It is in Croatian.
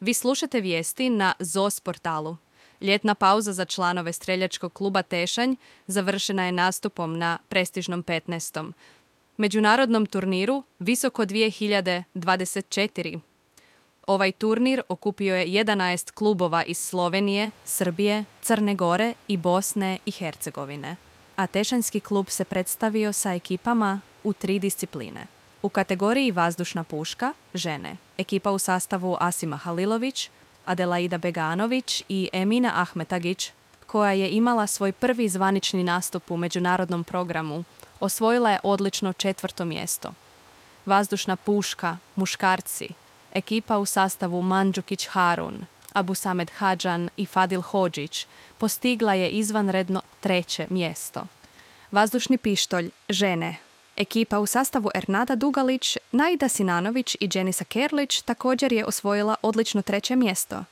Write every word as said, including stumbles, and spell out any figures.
Vi slušate vijesti na Z O S portalu. Ljetna pauza za članove streljačkog kluba Tešanj završena je nastupom na prestižnom petnaestom međunarodnom turniru Visoko dvije hiljade dvadeset četiri. Ovaj turnir okupio je jedanaest klubova iz Slovenije, Srbije, Crne Gore i Bosne i Hercegovine, a tešanjski klub se predstavio sa ekipama u tri discipline. U kategoriji vazdušna puška, žene, ekipa u sastavu Asima Halilović, Adelaida Beganović i Emina Ahmetagić, koja je imala svoj prvi zvanični nastup u međunarodnom programu, osvojila je odlično četvrto mjesto. Vazdušna puška, muškarci, ekipa u sastavu Mandžukić Harun, Abusamed Hadžan i Fadil Hodžić postigla je izvanredno treće mjesto. Vazdušni pištolj, žene, ekipa u sastavu Ernada Dugalić, Naida Sinanović i Dženisa Kerlić također je osvojila odlično treće mjesto.